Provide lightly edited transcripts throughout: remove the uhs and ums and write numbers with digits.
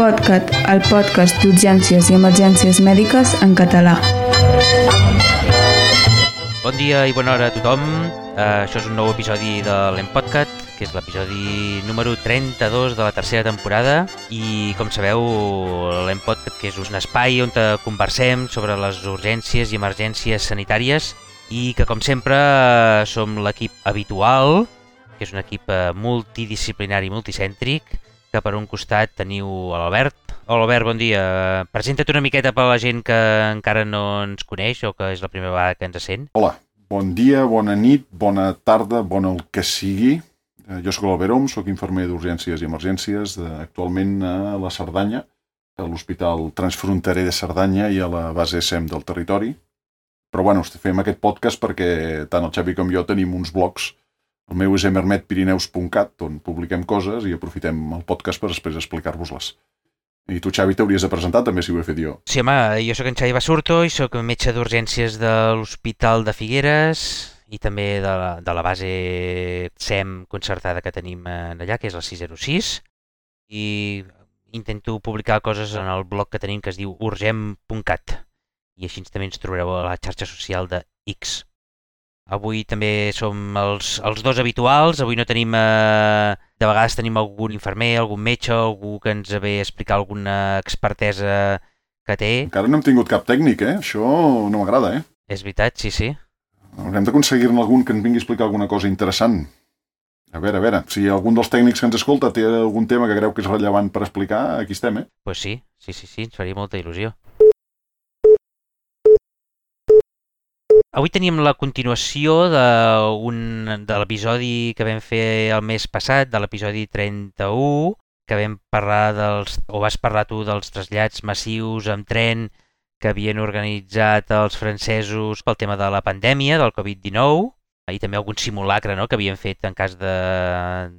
L'Empodcat, el podcast d'urgències i emergències mèdiques en català. Bon dia i bona hora a tothom. Això és un nou episodi de l'Empodcat, que és l'episodi número 32 de la tercera temporada. I com sabeu, l'Empodcat que és un espai on conversem sobre les urgències i emergències sanitàries i que com sempre som l'equip habitual, que és un equip multidisciplinari i multicèntric, que per un costat teniu l'Albert. Hola Albert, bon dia. Presenta't una miqueta per a la gent que encara no ens coneix o que és la primera vegada que ens sent. Hola, bon dia, bona nit, bona tarda, bona el que sigui. Jo sóc l'Albert Om, sóc infermer d'urgències i emergències, actualment a la Cerdanya, a l'Hospital Transfronterer de Cerdanya i a la base SEM del territori. Però bueno, fem aquest podcast perquè tant el Xavi com jo tenim uns blogs. El meu és emermetpirineus.cat, on publiquem coses i aprofitem el podcast per després explicar-vos-les. I tu, Xavi, t'hauries de presentar també, si ho he fet jo. Sí, home, jo sóc en Xavi Basurto i sóc metge d'urgències de l'Hospital de Figueres i també de la base SEM concertada que tenim allà, que és la 606. I intento publicar coses en el blog que tenim que es diu urgem.cat. I així també ens trobareu a la xarxa social de X. Avui també som els dos habituals. Avui no tenim... de vegades tenim algun infermer, algun metge, algú que ens ve a explicar alguna expertesa que té. Encara no hem tingut cap tècnic, Això no m'agrada, És veritat, sí. Haurem d'aconseguir-ne algun que ens vingui a explicar alguna cosa interessant. A veure, si algun dels tècnics que ens escolta té algun tema que creu que és rellevant per explicar, aquí estem, Pues sí, ens faria molta il·lusió. Avui tenim la continuació de l'episodi que vam fer el mes passat, de l'episodi 31, que vam parlar vas parlar tu dels trasllats massius amb tren que havien organitzat els francesos pel tema de la pandèmia, del Covid-19, i també algun simulacre, que havien fet en cas de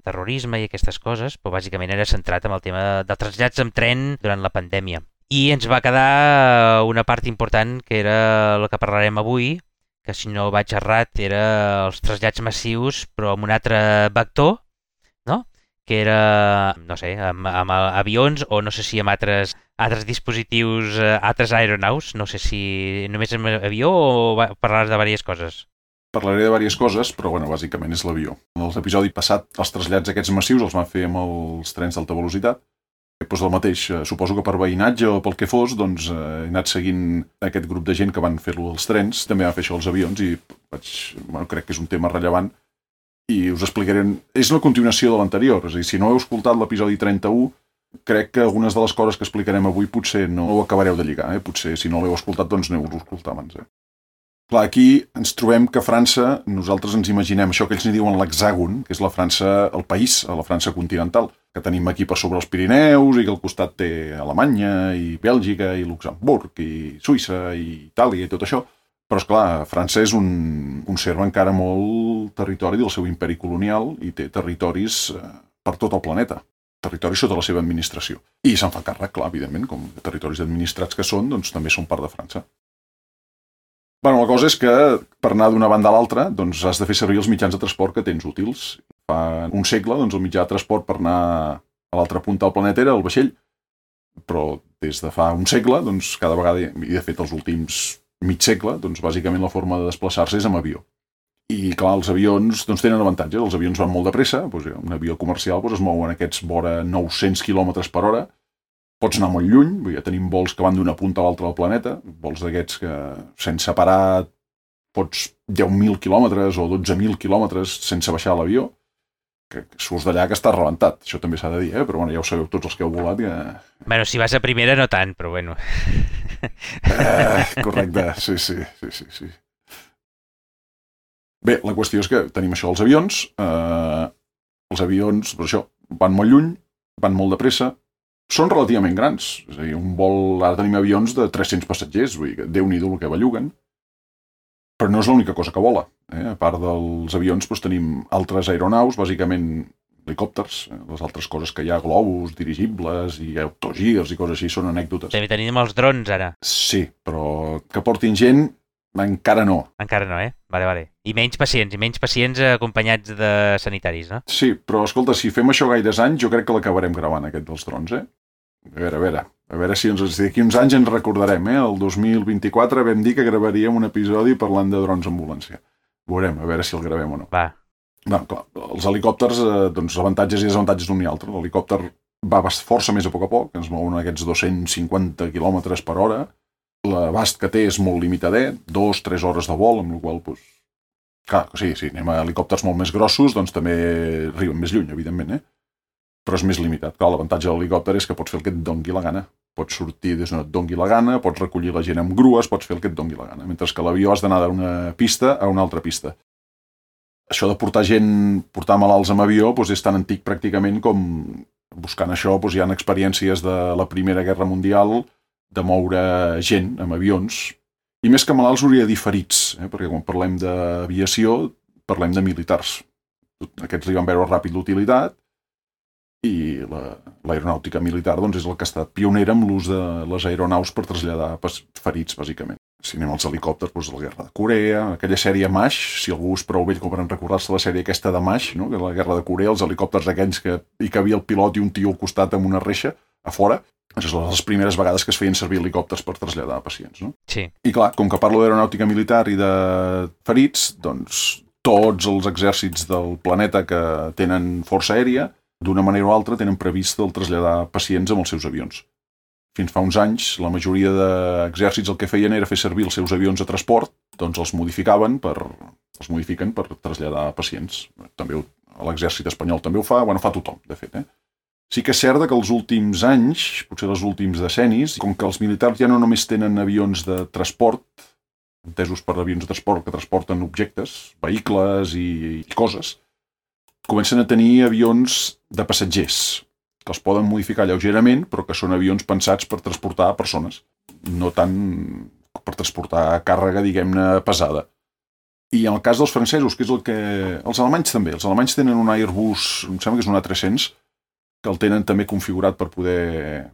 terrorisme i aquestes coses, però bàsicament era centrat en el tema de trasllats amb tren durant la pandèmia. I ens va quedar una part important, que era la que parlarem avui, que si no vaig errat era els trasllats massius però amb un altre vector, que era, no sé, amb avions o no sé si amb altres dispositius, altres aeronaus, no sé si només amb avió o parlaràs de diverses coses. Parlaré de diverses coses, però bàsicament és l'avió. En l'episodi passat, els trasllats aquests massius els van fer amb els trens d'alta velocitat. Del mateix, suposo que per veïnatge o pel que fos, he anat seguint aquest grup de gent que van fer-lo als trens, també van fer això als avions i crec que és un tema rellevant i us explicaré. És la continuació de l'anterior, és a dir, si no heu escoltat l'episodi 31, crec que algunes de les coses que explicarem avui potser no ho acabareu de lligar, potser si no l'heu escoltat aneu-lo a escoltar abans. Clar, aquí ens trobem que a França, nosaltres ens imaginem això que ells n'hi diuen l'hexàgon, que és la França, el país, la França continental, que tenim aquí per sobre els Pirineus i que al costat té Alemanya i Bèlgica i Luxemburg i Suïssa i Itàlia i tot això. Però, esclar, França és conserva encara molt territori del seu imperi colonial i té territoris per tot el planeta, territoris sota la seva administració. I se'n fa càrrec, clar, evidentment, com territoris administrats que són, també són part de França. La cosa és que per anar d'una banda a l'altra has de fer servir els mitjans de transport que tens útils. Fa un segle el mitjà de transport per anar a l'altra punta del planeta era el vaixell, però des de fa un segle, cada vegada, i de fet els últims mig segle, bàsicament la forma de desplaçar-se és amb avió. I clar, els avions tenen avantatges, els avions van molt de pressa, un avió comercial es mou en aquests vora 900 km per hora, pots anar molt lluny, ja tenim vols que van d'una punta a l'altra del planeta, vols d'aquests que sense parar pots 10.000 quilòmetres o 12.000 quilòmetres sense baixar l'avió, que surts d'allà que estàs rebentat, això també s'ha de dir, però ja ho sabeu tots els que heu volat. Bueno, si vas a primera no tant, però bueno. Correcte, sí. Bé, la qüestió és que tenim això dels avions, els avions, per això, van molt lluny, van molt de pressa, són relativament grans, és a dir, ara tenim avions de 300 passatgers, vull dir que Déu-n'hi-do el que belluguen, però no és l'única cosa que vola. A part dels avions tenim altres aeronaus, bàsicament helicòpters, les altres coses que hi ha, globus, dirigibles i autogirs i coses així, són anècdotes. També tenim els drons ara. Sí, però que portin gent, encara no. Encara no, Vale. I menys pacients acompanyats de sanitaris, no? Sí, però escolta, si fem això gaires anys, jo crec que l'acabarem gravant, aquest dels drons, A veure si d'aquí uns anys ens recordarem, El 2024 vam dir que gravaríem un episodi parlant de drons ambulància. Veurem, a veure si el gravem o no. Va. Clar, els helicòpters, doncs avantatges i desavantatges d'un i altre. L'helicòpter va força més a poc, ens mouen aquests 250 km per hora. L'abast que té és molt limitadet, 2-3 hores de vol, amb la qual cosa... Clar, sí, anem a helicòpters molt més grossos, doncs també arriben més lluny, evidentment, però és més limitat. Clar, l'avantatge de l'helicòpter és que pots fer el que et dongui la gana. Pots sortir des d'on et dongui la gana, pots recollir la gent amb grues, pots fer el que et dongui la gana. Mentre que l'avió has d'anar d'una pista a una altra pista. Això de portar malalts amb avió és tan antic pràcticament com buscant això hi ha experiències de la Primera Guerra Mundial de moure gent amb avions. I més que malalts hauria de dir ferits, perquè quan parlem d'aviació parlem de militars. Aquests li van veure ràpid l'utilitat i l'aeronàutica militar és el que ha estat pionera amb l'ús de les aeronaus per traslladar ferits, bàsicament. Si anem als helicòpters, la Guerra de Corea, aquella sèrie MASH, si algú és prou vell com per recordar-se la sèrie aquesta de MASH, no? Que la Guerra de Corea, els helicòpters aquells que hi cabia el pilot i un tio al costat amb una reixa a fora, és les primeres vegades que es feien servir helicòpters per traslladar pacients, no? Sí. I clar, com que parlo d'aeronàutica militar i de ferits, doncs tots els exèrcits del planeta que tenen força aèria, d'una manera o altra tenen previst el traslladar pacients amb els seus avions. Fins fa uns anys, la majoria d'exèrcits el que feien era fer servir els seus avions de transport, doncs els modifiquen per traslladar pacients. També l'exèrcit espanyol també ho fa, fa tothom, de fet. Sí que és cert que els últims anys, potser els últims decennis, com que els militars ja no només tenen avions de transport, entesos per avions de transport que transporten objectes, vehicles i coses, comencen a tenir avions de passatgers, que els poden modificar lleugerament, però que són avions pensats per transportar persones, no tant per transportar càrrega, diguem-ne, pesada. I en el cas dels francesos, que és el que... Els alemanys també. Els alemanys tenen un Airbus, em sembla que és un A300, que el tenen també configurat per poder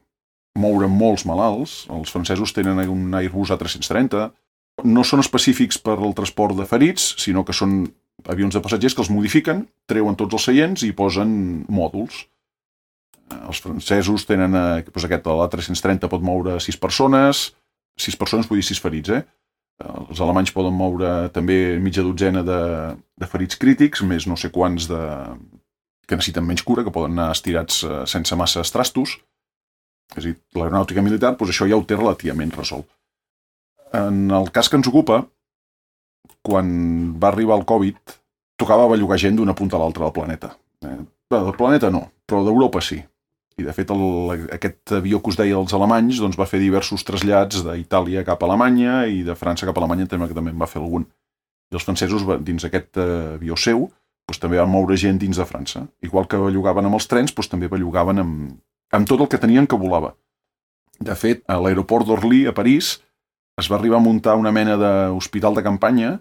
moure molts malalts. Els francesos tenen un Airbus A330. No són específics per al transport de ferits, sinó que són avions de passatgers que els modifiquen, treuen tots els seients i posen mòduls. Els francesos tenen aquest, l'A330 pot moure 6 persones, 6 persones vull dir 6 ferits, Els alemanys poden moure també mitja dotzena de ferits crítics, més no sé quants que necessiten menys cura, que poden anar estirats sense massa trastos. És a dir, l'aeronàutica militar, això ja ho té relativament resolt. En el cas que ens ocupa, quan va arribar el Covid, tocava bellugar gent d'una punta a l'altra del planeta. Del planeta no, però d'Europa sí. I de fet aquest avió que us deia dels alemanys va fer diversos trasllats d'Itàlia cap a Alemanya i de França cap a Alemanya també en va fer algun. I els francesos dins aquest avió seu també van moure gent dins de França. Igual que bellugaven amb els trens, també bellugaven amb tot el que tenien que volava. De fet, a l'aeroport d'Orly, a París, es va arribar a muntar una mena d'hospital de campanya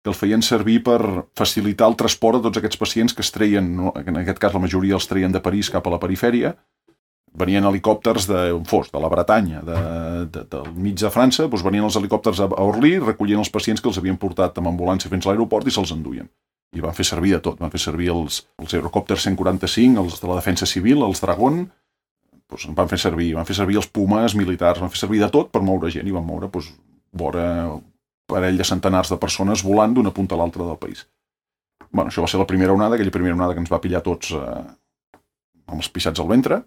que el feien servir per facilitar el transport de tots aquests pacients que es treien, en aquest cas la majoria els treien de París cap a la perifèria, venien helicòpters d'on fos, de la Bretanya, del mig de França, venien els helicòpters a Orly, recollien els pacients que els havien portat amb ambulància fins a l'aeroport i se'ls enduien. I van fer servir de tot, van fer servir els aerocòpters 145, els de la defensa civil, els Dragon, van fer servir els Pumas militars, van fer servir de tot per moure gent i van moure vora parell de centenars de persones volant d'una punta a l'altra del país. Això va ser la primera onada, aquella primera onada que ens va pillar tots amb els pixats al ventre.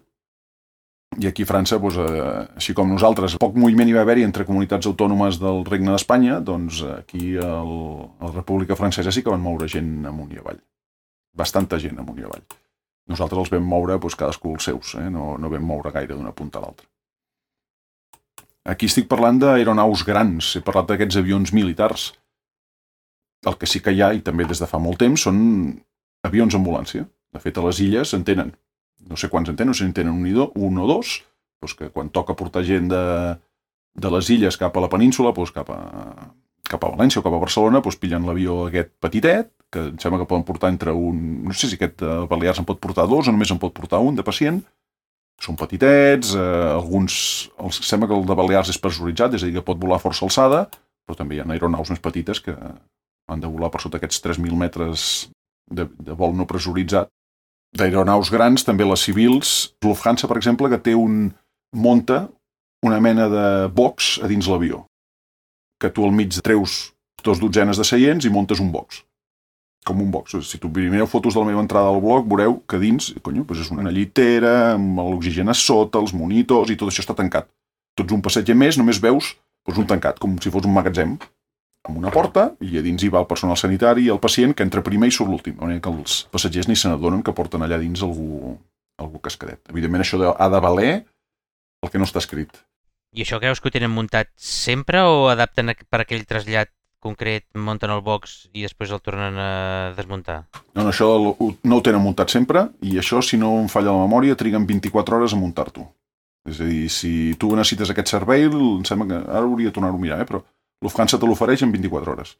I aquí a França, així com nosaltres, poc moviment hi va haver-hi entre comunitats autònomes del Regne d'Espanya, doncs aquí a la República Francesa sí que van moure gent amunt i avall. Bastanta gent amunt i avall. Nosaltres els vam moure cadascú els seus, no vam moure gaire d'una punta a l'altra. Aquí estic parlant d'aeronaus grans, he parlat d'aquests avions militars. El que sí que hi ha, i també des de fa molt temps, són avions ambulància. De fet, a les illes en tenen. No sé quants en tenen, no sé si en tenen un o dos, que quan toca portar gent de les illes cap a la península, cap a València o cap a Barcelona, pillen l'avió aquest petitet, que em sembla que poden portar entre un... No sé si aquest Balears en pot portar 2 o només en pot portar 1 de pacient. Són petitets, alguns... Sembla que el de Balears és pressuritzat, és a dir, que pot volar força alçada, però també hi ha aeronaus més petites que han de volar per sota aquests 3.000 metres de vol no pressuritzat. D'aeronaus grans, també les civils. Lufthansa, per exemple, que té un munta una mena de box a dins l'avió, que tu al mig treus 2 dotzenes de seients i muntes un box. Com un box. Si tu mireu fotos de la meva entrada al blog, veureu que dins, doncs és una llitera, amb l'oxigen a sota, els monitors, i tot això està tancat. Tu ets un passatger més, només veus un tancat, com si fos un magatzem, amb una porta, i a dins hi va el personal sanitari i el pacient, que entra primer i surt l'últim. De manera que els passatgers ni se n'adonen que porten allà dins algú cascadet. Evidentment, això ha de valer el que no està escrit. I això creus que ho tenen muntat sempre o adapten per aquell trasllat concret, munten el box i després el tornen a desmuntar? No, això no ho tenen muntat sempre, i això, si no em falla la memòria, triguen 24 hores a muntar-t'ho. És a dir, si tu necessites aquest servei, em sembla que ara hauria de tornar-ho a mirar, però Lufthansa te l'ofereix en 24 hores.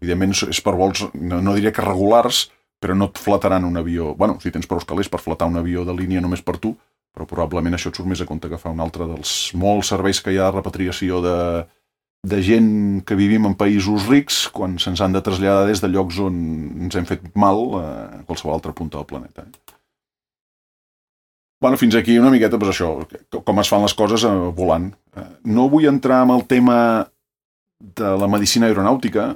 Evidentment, és per vols, no diré que regulars, però no et fletaran un avió. Bueno, si tens prou calés per fletar un avió de línia només per tu, però probablement això et surt més a compte que fa un altre dels molts serveis que hi ha de repatriació de gent que vivim en països rics quan se'ns han de traslladar des de llocs on ens hem fet mal a qualsevol altra punta del planeta. Bueno, fins aquí una miqueta, doncs això, com es fan les coses volant. No vull entrar en el tema de la medicina aeronàutica,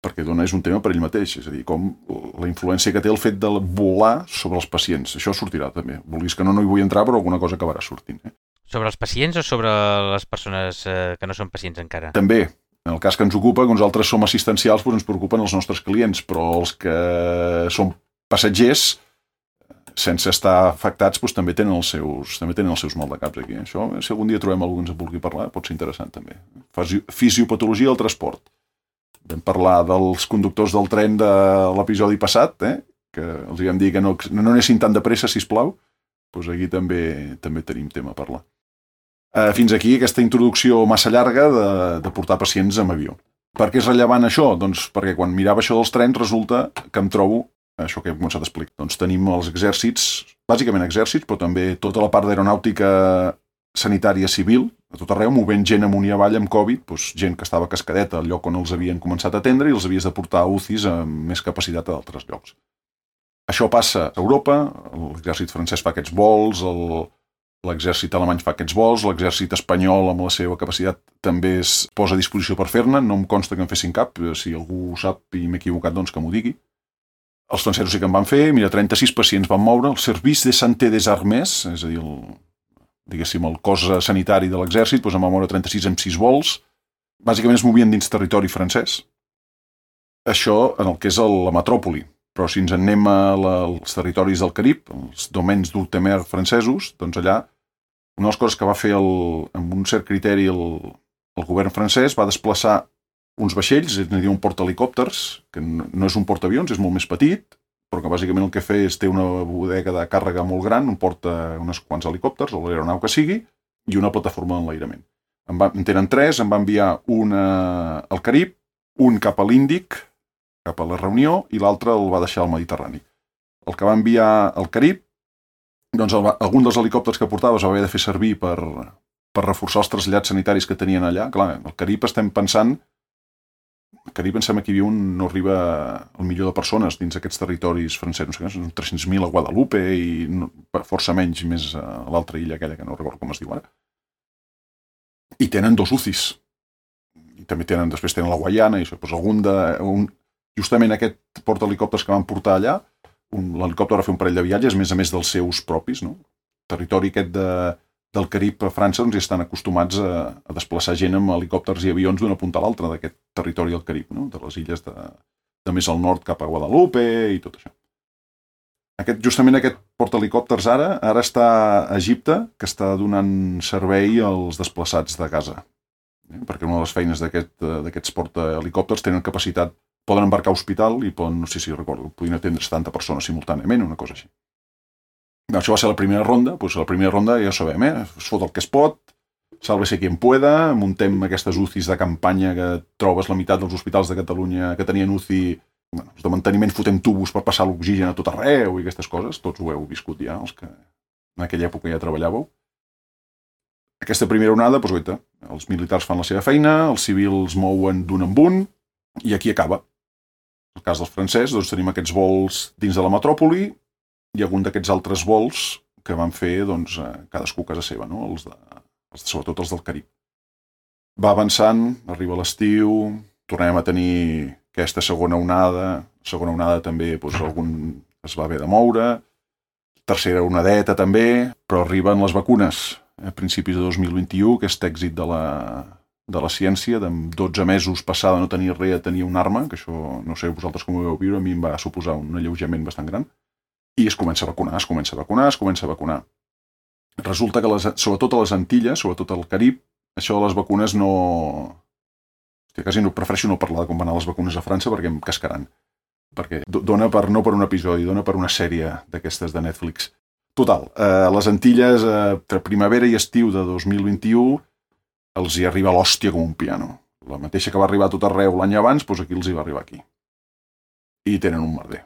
perquè és un tema per ell mateix, és a dir, com la influència que té el fet de volar sobre els pacients. Això sortirà també. Vulguis que no hi vull entrar, però alguna cosa acabarà sortint. Sobre els pacients o sobre les persones que no són pacients encara? També. En el cas que ens ocupa, que nosaltres som assistencials, doncs ens preocupen els nostres clients, però els que són passatgers, sense estar afectats, doncs també tenen els seus maldecaps aquí. Això, si algun dia trobem algú que ens en vulgui parlar, pot ser interessant també. Fisiopatologia del transport. Vam parlar dels conductors del tren de l'episodi passat, que els vam dir que no anessin tan de pressa, sisplau. Doncs aquí també tenim tema a parlar. Fins aquí aquesta introducció massa llarga de portar pacients amb avió. Per què és rellevant això? Doncs perquè quan mirava això dels trens resulta que em trobo això que he començat a explicar. Doncs tenim els exèrcits, bàsicament exèrcits, però també tota la part d'aeronàutica sanitària civil, a tot arreu, movent gent amunt i avall amb Covid, doncs gent que estava cascadeta al lloc on els havien començat a atendre i els havies de portar a UCIs amb més capacitat a d'altres llocs. Això passa a Europa, l'exèrcit francès fa aquests vols, l'exèrcit alemany fa aquests vols, l'exèrcit espanyol amb la seva capacitat també es posa a disposició per fer-ne, no em consta que en fessin cap, si algú ho sap i m'he equivocat, doncs que m'ho digui. Els francesos sí que en van fer, 36 pacients van moure, el Service de Santé des Armées, és a dir, el cos sanitari de l'exèrcit, doncs en va moure 36 amb 6 vols, bàsicament es movien dins territori francès. Això en el que és la metròpoli. Però si ens anem als territoris del Carib, els domaines d'Outre-mer francesos, doncs allà una de les coses que va fer amb un cert criteri el govern francès va desplaçar uns vaixells, és a dir, un portahelicòpters, que no és un portaavions, és molt més petit, però que bàsicament el que fa és té una bodega de càrrega molt gran, on porta uns quants helicòpters, o l'aeronau que sigui, i una plataforma d'enlairament. En tenen 3, en va enviar un al Carib, un cap a l'Índic, cap a la Reunió, i l'altre el va deixar al Mediterrani. El que va enviar al Carib, doncs algun dels helicòpters que portava es va haver de fer servir per reforçar els trasllats sanitaris que tenien allà. Clar, al Carib estem pensant... Al Carib pensem que hi havia no arriba al milió de persones dins aquests territoris francesos. Són 300.000 a Guadalupe i força menys més a l'altra illa aquella, que no recordo com es diu ara. I tenen 2 UCIs. I també després tenen la Guaiana i això. Justament aquest portahelicòpters que van portar allà, l'helicòpter va fer un parell de viatges, a més dels seus propis, no? El territori aquest del Carib a França, doncs hi estan acostumats a desplaçar gent amb helicòpters i avions d'una punta a l'altra d'aquest territori del Carib, no? De les illes de més al nord cap a Guadalupe i tot això. Justament aquest portahelicòpters ara està a Egipte, que està donant servei als desplaçats de Gaza. Perquè una de les feines d'aquests portahelicòpters tenen capacitat, poden embarcar a hospital i poden, no sé si recordo, podien atendre 70 persones simultàniament, una cosa així. Això va ser la primera ronda, doncs la primera ronda ja ho sabem, es fot el que es pot, sálvese quien pueda, muntem aquestes UCIs de campanya que trobes la meitat dels hospitals de Catalunya que tenien UCI, els de manteniment fotem tubos per passar l'oxigen a tot arreu i aquestes coses, tots ho heu viscut ja, els que en aquella època ja treballàveu. Aquesta primera onada, doncs guaita, els militars fan la seva feina, els civils mouen d'un en un i aquí acaba. En el cas dels francesos, doncs tenim aquests vols dins de la metròpoli i algun d'aquests altres vols que van fer doncs, cadascú a casa seva, no? Sobretot els del Carib. Va avançant, arriba l'estiu, tornem a tenir aquesta segona onada també doncs, algun es va haver de moure, tercera onadeta també, però arriben les vacunes a principis de 2021, aquest èxit de la ciència, de 12 mesos passar de no tenir res a tenir una arma, que això no sé vosaltres com ho veu viure, a mi em va suposar un alleujament bastant gran, i es comença a vacunar. Resulta que sobretot a les Antilles, sobretot al Carib, això de les vacunes no... Hòstia, quasi no prefereixo no parlar de com van anar les vacunes a França perquè em cascaran. Perquè dona no per un episodi, dona per una sèrie d'aquestes de Netflix. Total, a les Antilles, entre primavera i estiu de 2021, els hi arriba l'hòstia com un piano. La mateixa que va arribar a tot arreu l'any abans, doncs aquí els hi va arribar aquí. I tenen un merder.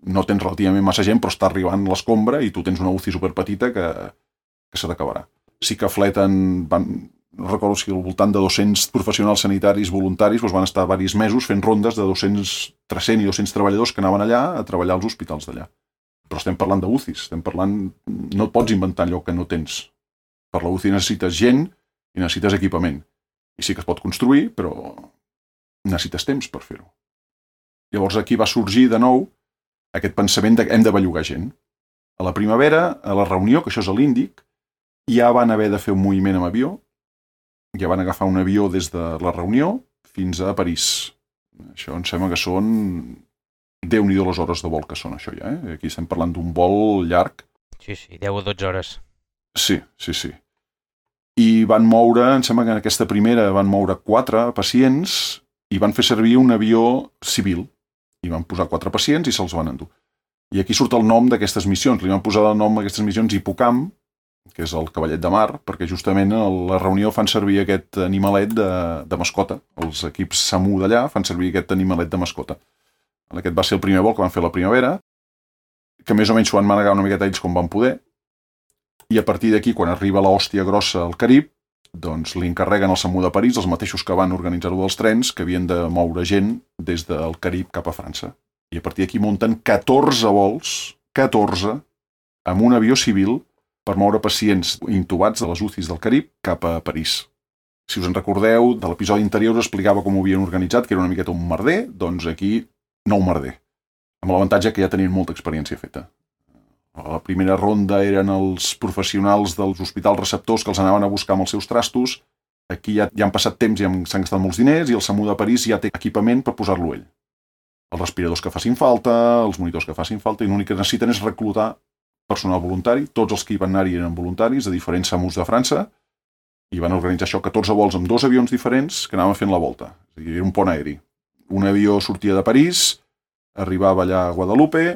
No tens relativament massa gent, però està arribant l'escombra i tu tens una UCI superpetita que se t'acabarà. Sí que fleten, no recordo si al voltant de 200 professionals sanitaris voluntaris doncs van estar diversos mesos fent rondes de 300 i 200 treballadors que anaven allà a treballar als hospitals d'allà. Però estem parlant de UCIs, no et pots inventar allò que no tens. Per la UCI necessites gent i necessites equipament. I sí que es pot construir, però necessites temps per fer-ho. Llavors aquí va sorgir de nou aquest pensament que hem de bellugar gent. A la primavera, a la reunió, que això és a l'Índic, ja van haver de fer un moviment amb avió, ja van agafar un avió des de la reunió fins a París. Això em sembla que són... Déu-n'hi-do les hores de vol que són, això ja, eh? Aquí estem parlant d'un vol llarg. Sí, 10 o 12 hores. Sí. I van moure, em sembla que en aquesta primera van moure 4 pacients i van fer servir un avió civil. I van posar 4 pacients i se'ls van endur. I aquí surt el nom d'aquestes missions. Li van posar el nom a aquestes missions Hipocamp, que és el cavallet de mar, perquè justament a la reunió fan servir aquest animalet de mascota. Els equips SAMU d'allà fan servir aquest animalet de mascota. Aquest va ser el primer vol que van fer la primavera, que més o menys s'ho van manegar una miqueta ells com van poder, i a partir d'aquí, quan arriba l'hòstia grossa al Carib, doncs li encarreguen al SAMU de París, els mateixos que van organitzar-ho dels trens, que havien de moure gent des del Carib cap a França. I a partir d'aquí munten 14 vols, 14, amb un avió civil per moure pacients intubats de les UCIs del Carib cap a París. Si us en recordeu, de l'episodi anterior us explicava com ho havien organitzat, que era una miqueta un merder, doncs aquí no un merder, amb l'avantatge que ja tenien molta experiència feta. A la primera ronda eren els professionals dels hospitals receptors que els anaven a buscar amb els seus trastos. Aquí ja han passat temps i s'han gastat molts diners i el SAMU de París ja té equipament per posar-lo ell. Els respiradors que facin falta, els monitors que facin falta, i l'únic que necessiten és reclutar personal voluntari. Tots els que hi van anar-hi eren voluntaris de diferents SAMUs de França i van organitzar això, 14 vols amb 2 avions diferents que anaven fent la volta. És a dir, era un pont aeri. Un avió sortia de París, arribava allà a Guadalupe,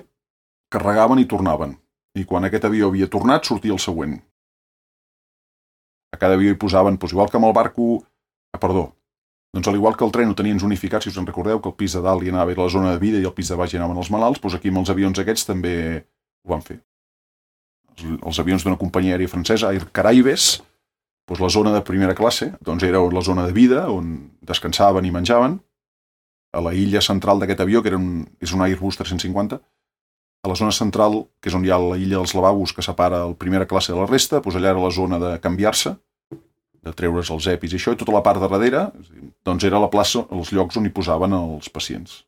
carregaven i tornaven. I quan aquest avió havia tornat, sortia el següent. A cada avió hi posaven, doncs igual que amb el barco... Doncs al igual que el tren ho tenien zonificat, si us en recordeu, que el pis de dalt hi anava a la zona de vida i el pis de baix hi anaven els malalts, doncs aquí amb els avions aquests també ho van fer. Els avions d'una companyia aèria francesa, Air Caraïbes, doncs la zona de primera classe, doncs era la zona de vida, on descansaven i menjaven. A la illa central d'aquest avió, que és un Airbus 350, a la zona central, que és on hi ha la illa dels lavabos que separa la primera classe de la resta, doncs allà era la zona de canviar-se, de treure's els EPIs i això, i tota la part de darrere, doncs era la plaça, els llocs on hi posaven els pacients.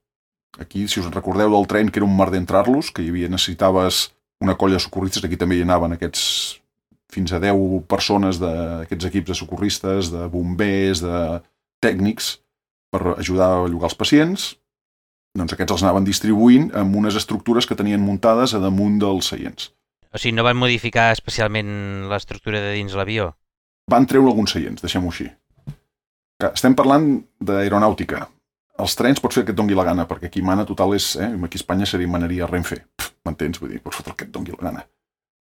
Aquí, si us recordeu del tren, que era un merder entrar-los, que necessitaves una colla de socorristes, aquí també hi anaven aquests fins a 10 persones d'aquests equips de socorristes, de bombers, de tècnics, per ajudar a bellugar els pacients, doncs aquests els anaven distribuint amb unes estructures que tenien muntades a damunt dels seients. O sigui, no van modificar especialment l'estructura de dins l'avió? Van treure alguns seients, deixem-ho així. Estem parlant d'aeronàutica. Els trens pots fer el que et dongui la gana, perquè aquí mana total és... Aquí a Espanya seria manaria Renfe. M'entens? Vull dir, pots fer el que et dongui la gana.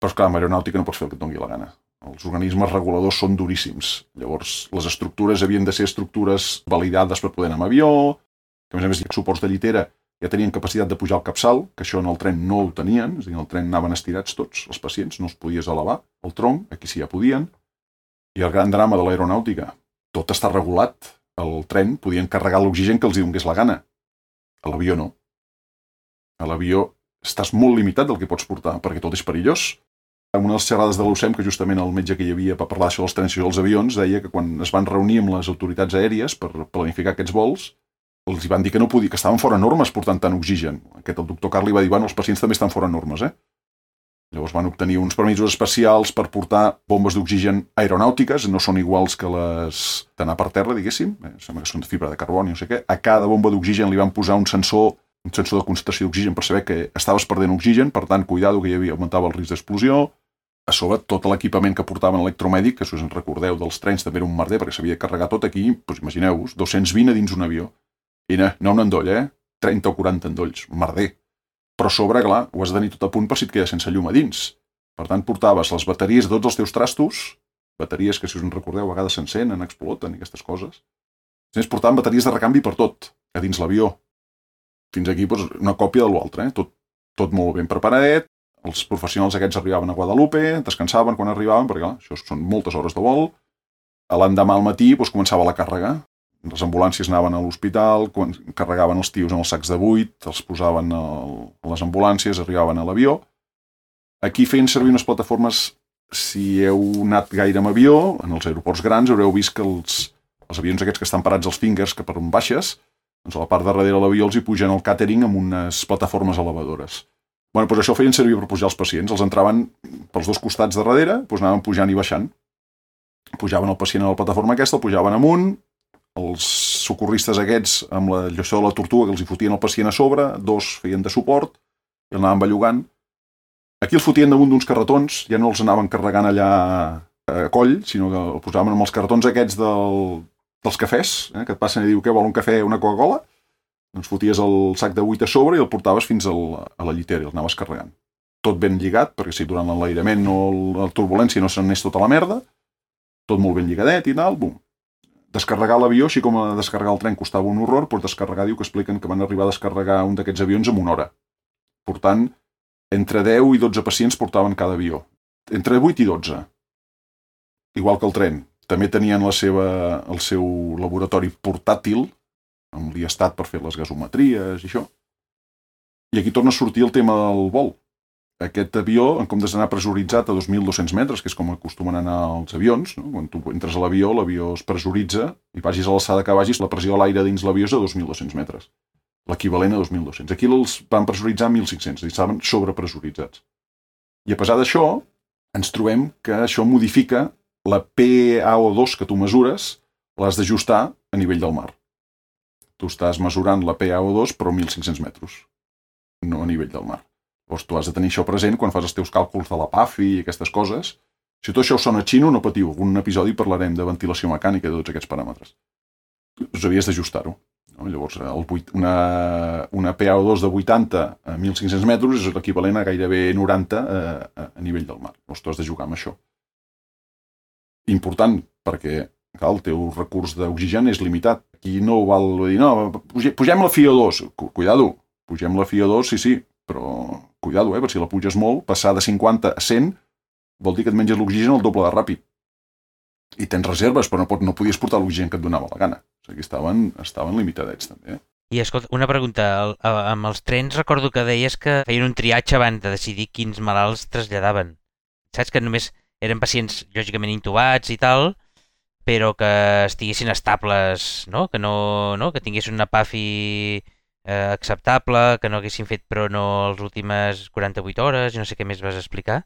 Però esclar, amb aeronàutica no pots fer el que et dongui la gana. Els organismes reguladors són duríssims. Llavors, les estructures havien de ser estructures validades per poder anar amb avió, que a més hi ha suports de llitera, ja tenien capacitat de pujar al capçal, que això en el tren no ho tenien, és a dir, en el tren anaven estirats tots, els pacients, no els podies elevar, el tronc, aquí sí ja podien. I el gran drama de l'aeronàutica, tot està regulat. El tren podien carregar l'oxigen que els hi donés la gana. A l'avió no. A l'avió estàs molt limitat del que pots portar, perquè tot és perillós. En una de les xerrades de l'UCEM, que justament el metge que hi havia per parlar d'això dels trens i dels avions, deia que quan es van reunir amb les autoritats aèries per planificar aquests vols, els van dir que no podia, que estaven fora normes portant tant oxigen. El doctor Carli va dir, bueno, els pacients també estan fora normes, Llavors van obtenir uns permisos especials per portar bombes d'oxigen aeronàutiques, no són iguals que les d'anar per terra, diguéssim, sembla que són de fibra de carboni, no sé què. A cada bomba d'oxigen li van posar un sensor de concentració d'oxigen per saber que estaves perdent oxigen, per tant, cuidado, que augmentava el risc d'explosió. A sobre, tot l'equipament que portaven electromèdic, que si us en recordeu dels trens, també era un merder, perquè s'havia de carregar tot aquí, doncs imagineu-vos, 220 a dins un avió. I no un endoll, 30 o 40 endolls, merder. Però a sobre, clar, ho has de tenir tot a punt per si et queda sense llum a dins. Per tant, portaves les bateries de tots els teus trastos, bateries que, si us en recordeu, a vegades s'encenen, exploten i aquestes coses. Després portaven bateries de recanvi per tot, a dins l'avió. Fins aquí, doncs, una còpia de l'altre, tot molt ben preparadet. Els professionals aquests arribaven a Guadalupe, descansaven quan arribaven, perquè, clar, això són moltes hores de vol. L'endemà al matí doncs, començava la càrrega. Les ambulàncies anaven a l'hospital, carregaven els tios en els sacs de buit, els posaven a les ambulàncies, arribaven a l'avió. Aquí feien servir unes plataformes, si heu anat gaire amb avió, en els aeroports grans haureu vist que els avions aquests que estan parats als fingers, que per on baixes, doncs a la part de darrere de l'avió els hi pugen el càtering amb unes plataformes elevadores. Bueno, doncs això feien servir per pujar els pacients. Els entraven pels dos costats de darrere, doncs anaven pujant i baixant. Pujaven el pacient a la plataforma aquesta, el pujaven amunt. Els socorristes aquests, amb la llossó de la tortuga, que els hi fotien el pacient a sobre, dos feien de suport i el anaven bellugant. Aquí els fotien damunt d'uns carretons, ja no els anaven carregant allà a coll, sinó que el posaven amb els carretons aquests dels cafès, que et passen i diu que vol un cafè o una Coca-Cola, doncs foties el sac de buit a sobre i el portaves fins a la llitera i el anaves carregant. Tot ben lligat, perquè si durant l'enlairament o la turbulència no se'n anés tota la merda, tot molt ben lligadet i tal, bum. Descarregar l'avió, així com descarregar el tren costava un horror, però descarregar diu que expliquen que van arribar a descarregar un d'aquests avions en una hora. Portant, entre 10 i 12 pacients portaven cada avió. Entre 8 i 12. Igual que el tren. També tenien el seu laboratori portàtil, amb l'iestat per fer les gasometries i això. I aquí torna a sortir el tema del vol. Aquest avió, en comptes d'anar pressuritzat a 2.200 metres, que és com acostumen a anar els avions, no? Quan tu entres a l'avió es pressuritza i vagis a l'alçada que vagis, la pressió a l'aire dins l'avió és a 2.200 metres. L'equivalent a 2.200. Aquí els van pressuritzar a 1.500, i estaven sobrepressuritzats. I a pesar d'això, ens trobem que això modifica la PaO2 que tu mesures, l'has d'ajustar a nivell del mar. Tu estàs mesurant la PaO2 però a 1.500 metres, no a nivell del mar. Llavors tu has de tenir això present quan fas els teus càlculs de la PAFI i aquestes coses. Si tot això us sona xino, no patiu. En un episodi parlarem de ventilació mecànica i de tots aquests paràmetres. Us havies d'ajustar-ho. No? Llavors, una PaO2 de 80 a 1.500 metres és l'equivalent a gairebé 90 a nivell del mar. Llavors tu has de jugar amb això. Important, perquè el teu recurs d'oxigen és limitat. Aquí no val dir, no, pugem la FiO2. Cuidado, pugem la FiO2, sí, però cuidado, perquè si la puges molt, passar de 50 a 100 vol dir que et menges l'oxigen el doble de ràpid. I tens reserves, però no podies portar l'oxigen que et donava la gana. O sigui, estaven limitadets, també. I escolta, una pregunta. Amb els trens recordo que deies que feien un triatge abans de decidir quins malalts traslladaven. Saps que només eren pacients, lògicament, intubats i tal, però que estiguessin estables, no? Que tinguessin una PAFI acceptable, que no haguessin fet però no les últimes 48 hores i no sé què més vas explicar.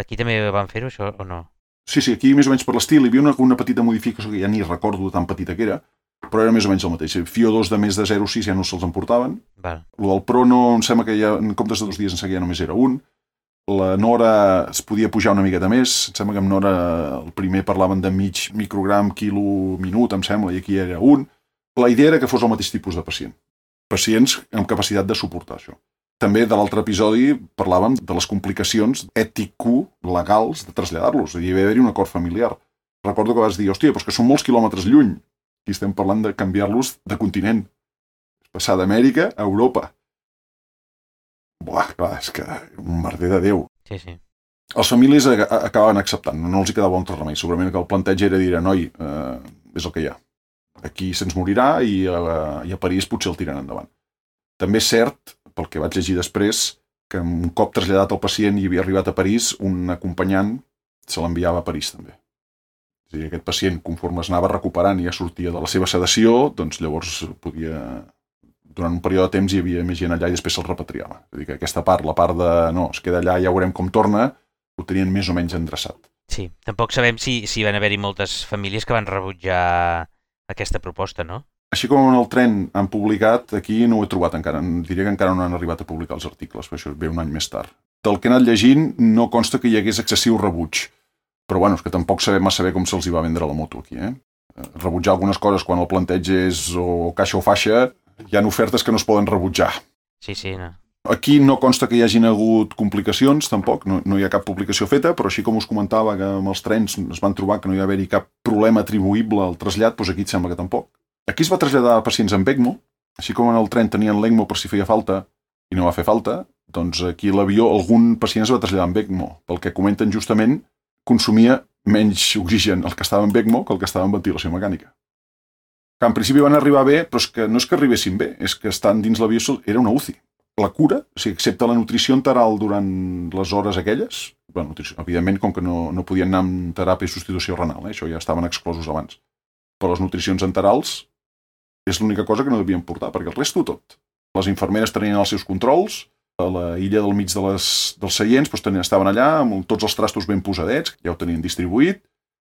Aquí també van fer-ho, això, o no? Sí, aquí més o menys per l'estil hi havia una petita modificació que ja ni recordo tan petita que era, però era més o menys el mateix. FiO2 de més de 0,6 ja no se'ls emportaven. El del Prono em sembla que ja en comptes de 2 dies en seguida només era un. La Nora es podia pujar una miqueta més. Em sembla que amb Nora el primer parlaven de mig microgram, quilo, minut, em sembla, i aquí era un. La idea era que fos el mateix tipus de pacient. Pacients amb capacitat de suportar això. També de l'altre episodi parlàvem de les complicacions ètico-legals de traslladar-los. Hi havia d'haver-hi un acord familiar. Recordo que vas dir, hòstia, però és que són molts quilòmetres lluny. Aquí estem parlant de canviar-los de continent. Passar d'Amèrica a Europa. Buah, clar, és que un merder de Déu. Sí. Els famílies acabaven acceptant, no els hi quedava un altre remei. Segurament que el planteig era dir, noi, és el que hi ha. Aquí se'ns morirà i a París potser el tiren endavant. També és cert, pel que vaig llegir després, que un cop traslladat el pacient i havia arribat a París, un acompanyant se l'enviava a París també. És a dir, aquest pacient, conforme es anava recuperant i ja sortia de la seva sedació, doncs llavors podia... Durant un període de temps hi havia més gent allà i després se'l repatriava. És a dir, que aquesta part, la part de no, es queda allà, ja veurem com torna, ho tenien més o menys endreçat. Sí, tampoc sabem si van haver-hi moltes famílies que van rebutjar aquesta proposta, no? Així com en el tren han publicat, aquí no ho he trobat encara. Diria que encara no han arribat a publicar els articles, però això ve un any més tard. Del que he anat llegint no consta que hi hagués excessiu rebuig, però bueno, és que tampoc sabem massa bé com se'ls hi va vendre la moto aquí. Rebutjar algunes coses quan el planteig és o caixa o faixa, hi ha ofertes que no es poden rebutjar. Sí, no. Aquí no consta que hi hagin hagut complicacions, tampoc, no hi ha cap publicació feta, però així com us comentava que amb els trens es van trobar que no hi va haver-hi cap problema atribuïble al trasllat, doncs aquí et sembla que tampoc. Aquí es va traslladar pacients amb ECMO, així com en el tren tenien l'ECMO per si feia falta i no va fer falta, doncs aquí a l'avió algun pacient es va traslladar amb ECMO. Pel que comenten justament, consumia menys oxigen el que estava amb ECMO que el que estava en ventilació mecànica. Que en principi van arribar bé, però és que no és que arribessin bé, és que estan dins l'avió, era una UCI. La cura, o sigui, excepte la nutrició enteral durant les hores aquelles, bueno, evidentment, com que no podien anar amb teràpia i substitució renal, això ja estaven exclosos abans. Però les nutricions enterals és l'única cosa que no devien portar, perquè el resto tot. Les infermeres tenien els seus controls, a la illa del mig dels seients estaven allà amb tots els trastos ben posadets, ja ho tenien distribuït,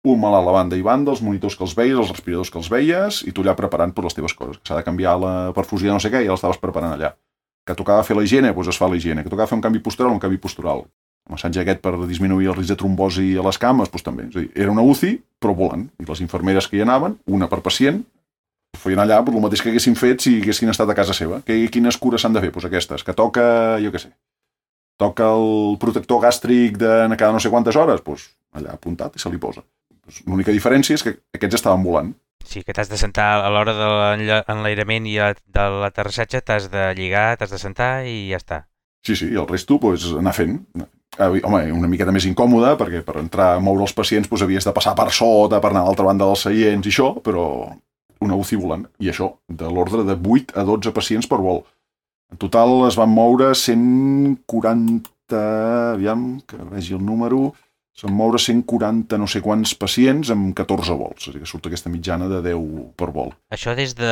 un malalt a banda i banda, els monitors que els veies, els respiradors que els veies, i tu allà preparant per les teves coses. Que s'ha de canviar la perfusió de no sé què, ja l'estaves preparant allà. Que tocava fer la higiene, doncs es fa la higiene. Que tocava fer un canvi postural, un canvi postural. El massatge aquest per disminuir el risc de trombosi a les cames, doncs també. És a dir, era una UCI, però volant. I les infermeres que hi anaven, una per pacient, feien allà el mateix que haguessin fet si haguessin estat a casa seva. Quines cures s'han de fer? Doncs aquestes. Que toca, jo què sé, toca el protector gàstric de cada no sé quantes hores, doncs allà apuntat i se li posa. L'única diferència és que aquests estaven volant. Sí, que t'has de sentar a l'hora de l'enlairament i de l'aterrissatge, t'has de lligar, t'has de sentar i ja està. Sí, i el resto anar fent. Home, una miqueta més incòmode, perquè per entrar a moure els pacients havies de passar per sota, per anar a l'altra banda dels seients i això, però una UCI volant. I això, de l'ordre de 8 a 12 pacients per vol. En total es van moure 140, aviam, que vegi el número... Se'n moure 140 no sé quants pacients amb 14 vols. És a dir, que surt aquesta mitjana de 10 per vol. Això des de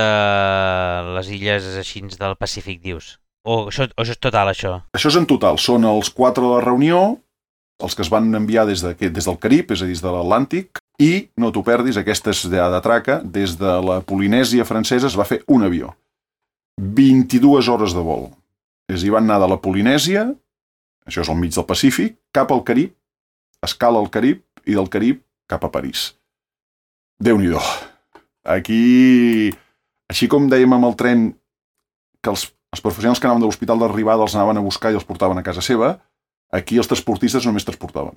les illes així del Pacífic, dius? O això és total, això? Això és en total. Són els 4 de la reunió, els que es van enviar des del Carib, és a dir, des de l'Atlàntic, i, no t'ho perdis, aquesta és de traca, des de la Polinèsia francesa es va fer un avió. 22 hores de vol. És a dir, van anar de la Polinèsia, això és al mig del Pacífic, cap al Carib, escala al Carib i del Carib cap a París. Déu-n'hi-do. Aquí, així com dèiem amb el tren que els professionals que anaven de l'hospital d'arribada els anaven a buscar i els portaven a casa seva, aquí els transportistes només transportaven.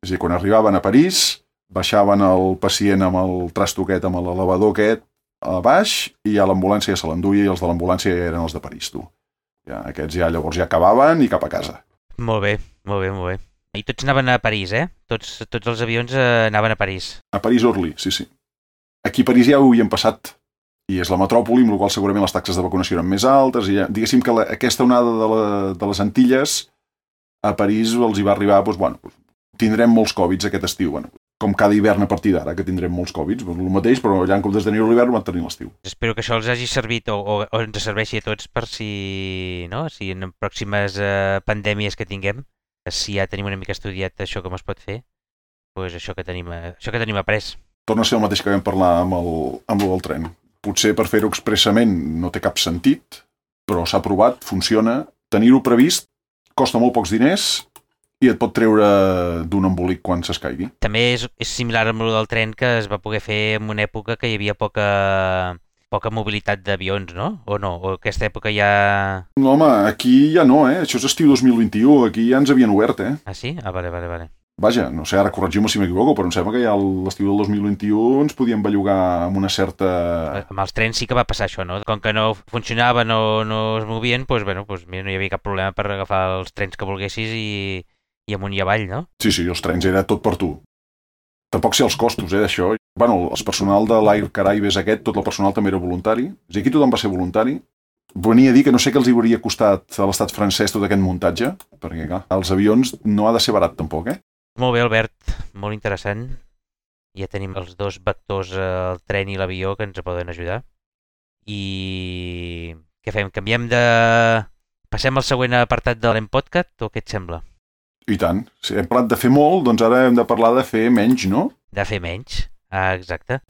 És a dir, quan arribaven a París, baixaven el pacient amb el trasto aquest, amb l'elevador aquest a baix, i ja l'ambulància ja se l'enduia i els de l'ambulància ja eren els de París, tu. Ja, aquests ja llavors ja acabaven i cap a casa. Molt bé. I tots anaven a París, eh? Tots els avions anaven a París. A París-Orly, sí. Aquí a París ja ho havien passat, i és la metròpoli, amb la qual segurament les taxes de vacunació eren més altes, i ja, diguéssim que aquesta onada de les Antilles, a París els hi va arribar, tindrem molts Covids aquest estiu, com cada hivern a partir d'ara, que tindrem molts Covids, el mateix, però allà en comptes de tenir l'hivern van tenir l'estiu. Espero que això els hagi servit o ens serveixi a tots per si en pròximes pandèmies que tinguem, si ja tenim una mica estudiat això com es pot fer, doncs això que tenim après. Torna a ser el mateix que vam parlar amb el del tren. Potser per fer-ho expressament no té cap sentit, però s'ha provat, funciona. Tenir-ho previst costa molt pocs diners i et pot treure d'un embolic quan s'escaigui. També és similar amb el del tren, que es va poder fer en una època que hi havia poca mobilitat d'avions, no? O no? O aquesta època ja... No, home, aquí ja no, Això és estiu 2021, aquí ja ens havien obert, Ah, sí? Ah, vale. Vaja, no sé, ara corregim-me si m'equivoco, però em sembla que ja l'estiu del 2021 ens podíem bellugar amb una certa... Amb els trens sí que va passar això, no? Com que no funcionaven o no es movien, mira, no hi havia cap problema per agafar els trens que volguessis i amunt i avall, no? Sí, els trens era tot per tu. Tampoc sé els costos, d'això. Bueno, el personal de l'Air Caraïbes aquest, tot el personal també era voluntari. És a dir, aquí tothom va ser voluntari. Venia a dir que no sé què els hauria costat a l'estat francès tot aquest muntatge, perquè clar, els avions no ha de ser barat tampoc, Molt bé, Albert, molt interessant. Ja tenim els dos vectors, el tren i l'avió, que ens poden ajudar. I què fem? Canviem de... Passem al següent apartat de l'Empodcast o què et sembla? I tant. Si hem parlat de fer molt, doncs ara hem de parlar de fer menys, no? De fer menys. Ah, exacte.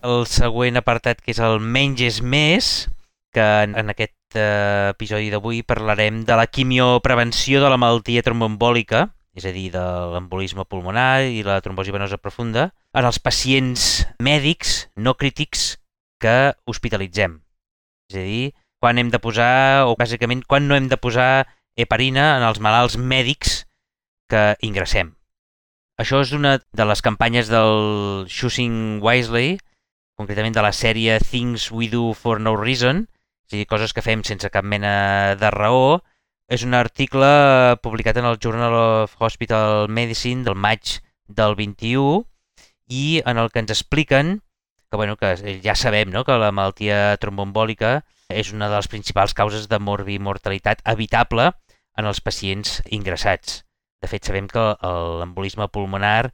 El següent apartat, que és el menys és més, que en aquest episodi d'avui parlarem de la quimioprevenció de la malaltia tromboembòlica, és a dir, de l'embolisme pulmonar i la trombosi venosa profunda, en els pacients mèdics no crítics que hospitalitzem. És a dir, quan hem de posar, o bàsicament, quan no hem de posar heparina en els malalts mèdics que ingressem. Això és una de les campanyes del Choosing Wisely, concretament de la sèrie Things We Do for No Reason, és a dir, coses que fem sense cap mena de raó. És un article publicat en el Journal of Hospital Medicine del maig del 21 i en el que ens expliquen que, bueno, que ja sabem, no?, que la malaltia tromboembòlica és una de les principals causes de morbimortalitat evitable en els pacients ingressats. De fet, sabem que l'embolisme pulmonar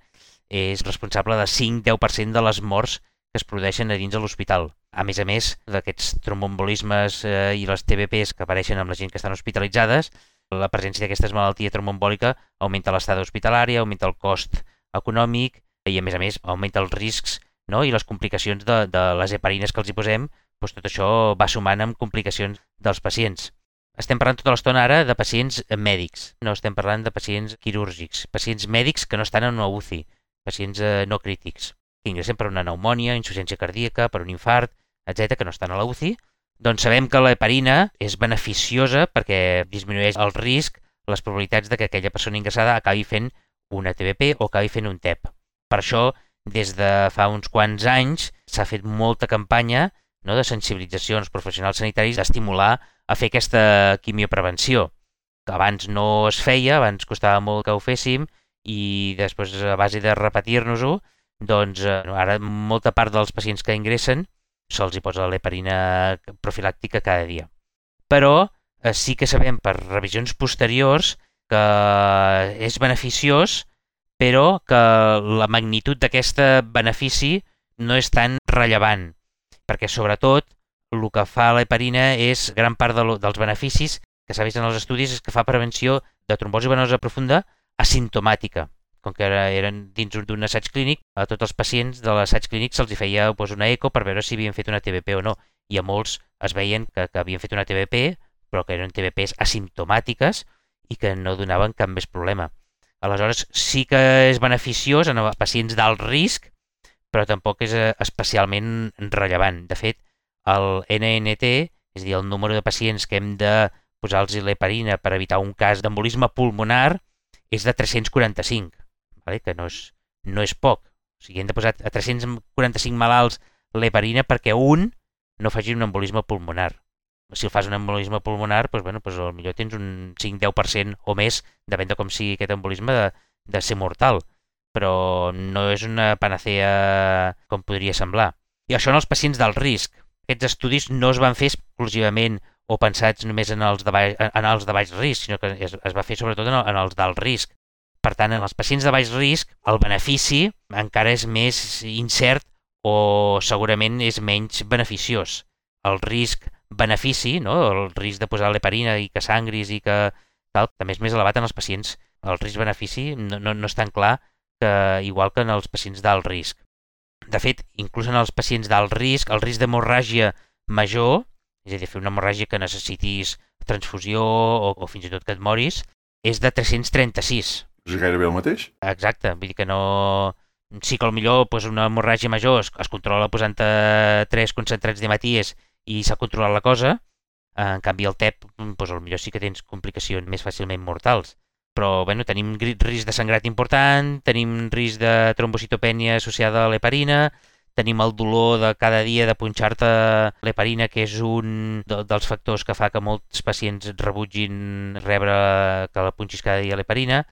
és responsable de 5-10% de les morts que es produeixen a dins de l'hospital. A més, d'aquests tromboembolismes i les TBPs que apareixen amb la gent que estan hospitalitzades, la presència d'aquesta malaltia tromboembòlica augmenta l'estada hospitalària, augmenta el cost econòmic i, a més, augmenta els riscs, no?, i les complicacions de les heparines que els hi posem. Doncs tot això va sumant amb complicacions dels pacients. Estem parlant tota l'estona ara de pacients mèdics, no estem parlant de pacients quirúrgics, pacients mèdics que no estan en una UCI, pacients no crítics, que ingressen per una pneumònia, insuficiència cardíaca, per un infart, etc., que no estan a la UCI. Doncs sabem que l'heparina és beneficiosa perquè disminueix el risc, les probabilitats de que aquella persona ingressada acabi fent una TBP o acabi fent un TEP. Per això, des de fa uns quants anys, s'ha fet molta campanya, no?, de sensibilització als professionals sanitaris d'estimular a fer aquesta quimioprevenció, que abans no es feia, abans costava molt que ho féssim, i després, a base de repetir-nos-ho, doncs ara molta part dels pacients que ingressen se'ls hi posa l'heparina profilàctica cada dia. Però sí que sabem per revisions posteriors que és beneficiós, però que la magnitud d'aquest benefici no és tan rellevant, perquè sobretot el que fa l'heparina és gran part dels beneficis que s'ha vist en els estudis és que fa prevenció de trombosi venosa profunda asimptomàtica. Com que eren dins d'un assaig clínic, a tots els pacients de l'assaig clínic se'ls feia una eco per veure si havien fet una TBP o no, i a molts es veien que havien fet una TBP, però que eren TBPs asimptomàtiques i que no donaven cap més problema. Aleshores, sí que és beneficiós en els pacients d'alt risc, però tampoc és especialment rellevant. De fet, el NNT, és a dir, el número de pacients que hem de posar-los l'heparina per evitar un cas d'embolisme pulmonar, és de 345, que no és poc. O sigui, hem de posar a 345 malalts l'heparina perquè un no faci un embolisme pulmonar. Si el fas un embolisme pulmonar, doncs potser tens un 5-10% o més, depèn de com sigui aquest embolisme, de ser mortal. Però no és una panacea com podria semblar. I això en els pacients d'alt risc. Aquests estudis no es van fer exclusivament o pensats només en els de baix risc, sinó que es va fer sobretot en els d'alt risc. Per tant, en els pacients de baix risc, el benefici encara és més incert o segurament és menys beneficiós. El risc-benefici, no?, el risc de posar l'heparina i que sangris i que tal, també és més elevat en els pacients. El risc-benefici no és tan clar igual que en els pacients d'alt risc. De fet, inclús en els pacients d'alt risc, el risc d'hemorràgia major, és a dir, fer una hemorràgia que necessitis transfusió o fins i tot que et moris, és de 336. És gairebé el mateix? Exacte, vull dir que no... Sí que potser una hemorràgia major es controla posant 3 concentrats d'hematies i s'ha controlat la cosa, en canvi el TEP potser sí que tens complicacions més fàcilment mortals. Però tenim risc de sangrat important, tenim risc de trombocitopènia associada a l'heparina, tenim el dolor de cada dia de punxar-te l'heparina, que és un dels factors que fa que molts pacients rebutgin rebre que la punxis cada dia l'heparina.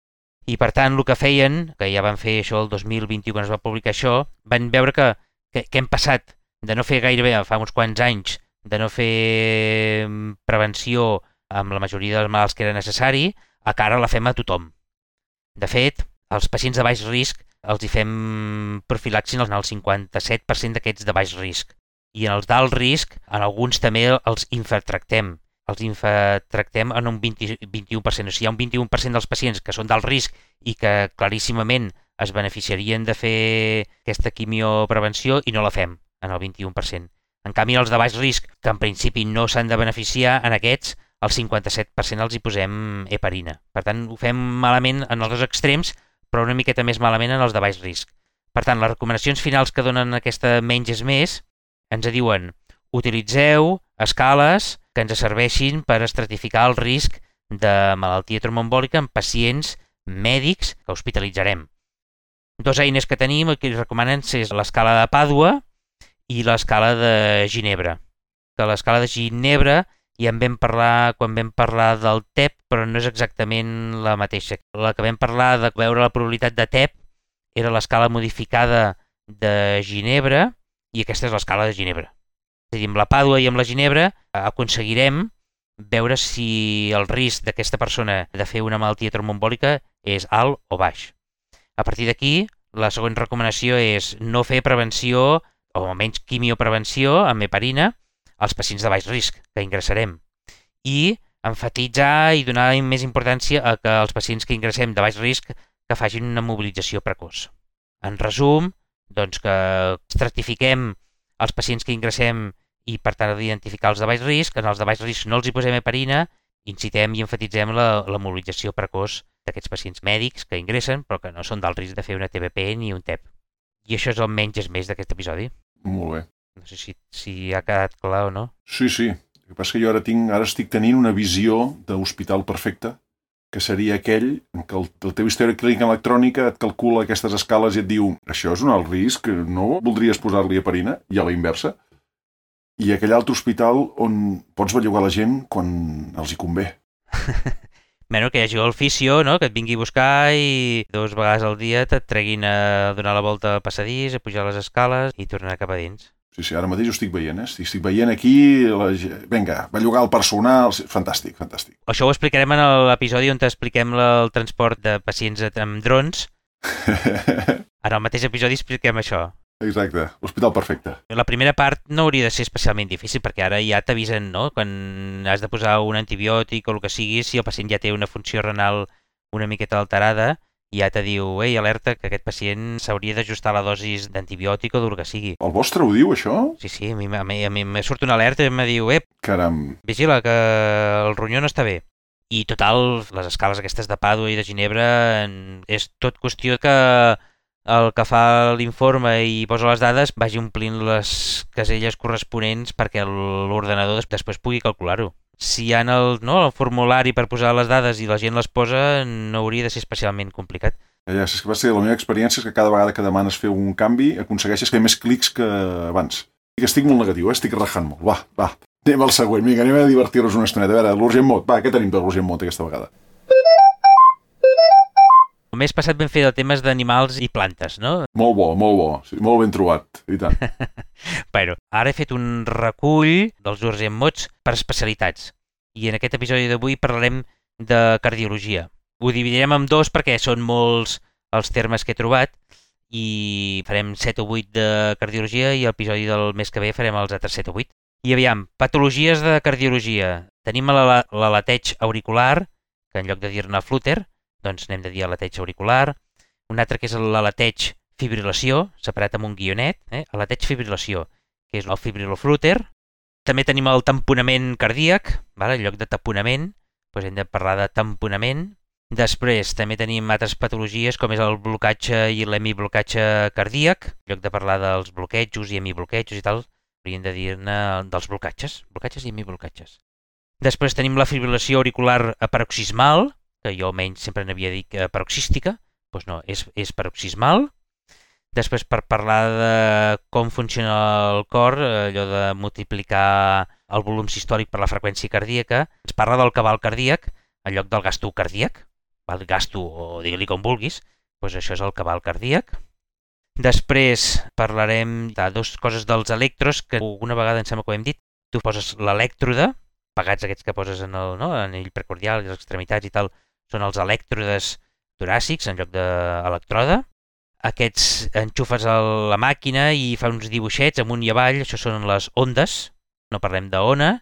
I per tant, el que feien, que ja van fer això el 2021 quan es va publicar això, van veure que hem passat de no fer gairebé, fa uns quants anys, de no fer prevenció amb la majoria dels malalts que era necessari, a que ara la fem a tothom. De fet, als pacients de baix risc els hi fem profilaxi en el 57% d'aquests de baix risc. I en els d'alt risc, en alguns també els infratractem. Els infratractem en un 21%. O sigui, hi ha un 21% dels pacients que són d'alt risc i que claríssimament es beneficiarien de fer aquesta quimioprevenció i no la fem en el 21%. En canvi, els de baix risc, que en principi no s'han de beneficiar, en aquests, el 57% els hi posem heparina. Per tant, ho fem malament en els dos extrems, però una miqueta més malament en els de baix risc. Per tant, les recomanacions finals que donen aquesta menys és més ens diuen: utilitzeu escales que ens serveixin per estratificar el risc de malaltia tromboembòlica en pacients mèdics que hospitalitzarem. Dos eines que tenim que recomanen és l'escala de Pàdua i l'escala de Ginebra. Que l'escala de Ginebra ja en vam parlar quan vam parlar del TEP, però no és exactament la mateixa. La que vam parlar de veure la probabilitat de TEP era l'escala modificada de Ginebra i aquesta és l'escala de Ginebra. És a dir, amb la Pàdua i amb la Ginebra aconseguirem veure si el risc d'aquesta persona de fer una malaltia tromboembòlica és alt o baix. A partir d'aquí, la següent recomanació és no fer prevenció, o almenys quimioprevenció amb heparina, als pacients de baix risc que ingressarem. I emfatitzar i donar més importància a que els pacients que ingressem de baix risc que facin una mobilització precoç. En resum, doncs que estratifiquem els pacients que ingressem i per tant identificar els de baix risc. En els de baix risc no els hi posem heparina, incitem i enfatitzem la mobilització precoç d'aquests pacients mèdics que ingressen però que no són d'alt risc de fer una TBP ni un TEP. I això és el menys és més d'aquest episodi. Molt bé. No sé si ha quedat clar o no. Sí. El que passa és que jo ara estic tenint una visió d'hospital perfecte, que seria aquell en què el teu històric clínic electrònica et calcula aquestes escales i et diu això és un alt risc, no voldries posar-li heparina, i a la inversa. I aquell altre hospital on pots bellugar la gent quan els hi convé. Bueno, que hi hagi el fisio, no? Que et vingui a buscar i 2 vegades al dia te't treguin a donar la volta al passadís, a pujar les escales i tornar cap a dins. Sí, ara mateix ho estic veient, Estic veient aquí, vinga, bellugar el personal, fantàstic. Això ho explicarem en l'episodi on expliquem el transport de pacients amb drons. En el mateix episodi expliquem això. Exacte, l'hospital perfecte. La primera part no hauria de ser especialment difícil perquè ara ja t'avisen, no? Quan has de posar un antibiòtic o el que sigui, si el pacient ja té una funció renal una miqueta alterada, ja te diu, ei, alerta, que aquest pacient s'hauria d'ajustar la dosis d'antibiòtic o del que sigui. El vostre ho diu, això? Sí, a mi me surt una alerta i em diu, caram, vigila, que el ronyó no està bé. I total, les escales aquestes de Pàdua i de Ginebra és tot qüestió que el que fa l'informe i posa les dades vagi omplint les caselles corresponents perquè l'ordenador després pugui calcular-ho. Si hi ha el formulari per posar les dades i la gent les posa, no hauria de ser especialment complicat. Ja, és que va ser la meva experiència és que cada vegada que demanes fer un canvi aconsegueixes fer més clics que abans. Estic molt negatiu, estic rajant molt. Va, anem al següent, vinga, anem a divertir-nos una estoneta. A veure, l'Urgent Mod, què tenim per l'Urgent Mod aquesta vegada? El mes passat vam fer de temes d'animals i plantes, no? Molt bo, sí, molt ben trobat, i tant. Bueno, ara he fet un recull dels Urgent Mods per especialitats i en aquest episodi d'avui parlarem de cardiologia. Ho dividirem en dos perquè són molts els termes que he trobat i farem 7 o 8 de cardiologia i l'episodi del mes que ve farem els altres 7 o 8. I aviam, patologies de cardiologia. Tenim l'aleteig auricular, que en lloc de dir-ne flúter, doncs n'hem de dir aleteig auricular. Un altre que és l'aleteig fibrilació, separat amb un guionet, aleteig fibrilació, que és el fibriloflúter. També tenim el tamponament cardíac, en lloc de taponament, doncs hem de parlar de tamponament. Després també tenim altres patologies com és el blocatge i l'hemiblocatge cardíac. En lloc de parlar dels bloquejos i hemibloquejos i tal, hauríem de dir-ne dels blocatges i hemiblocatges. Després tenim la fibrilació auricular paroxismal, que jo almenys sempre n'havia dit paroxística, doncs no, és paroxismal. Després, per parlar de com funciona el cor, allò de multiplicar el volum sistòlic per la freqüència cardíaca, ens parla del cabal cardíac en lloc del gasto cardíac, el gasto o digue-li com vulguis, doncs això és el cabal cardíac. Després parlarem de dues coses dels electros, que alguna vegada em sembla que ho hem dit. Tu poses l'elèctrode, pegats aquests que poses en el anell precordial i les extremitats i tal, són els elèctrodes toràcics en lloc d'electrode. Aquests enxufes a la màquina i fa uns dibuixets amunt i avall, això són les ondes. No parlem d'ona,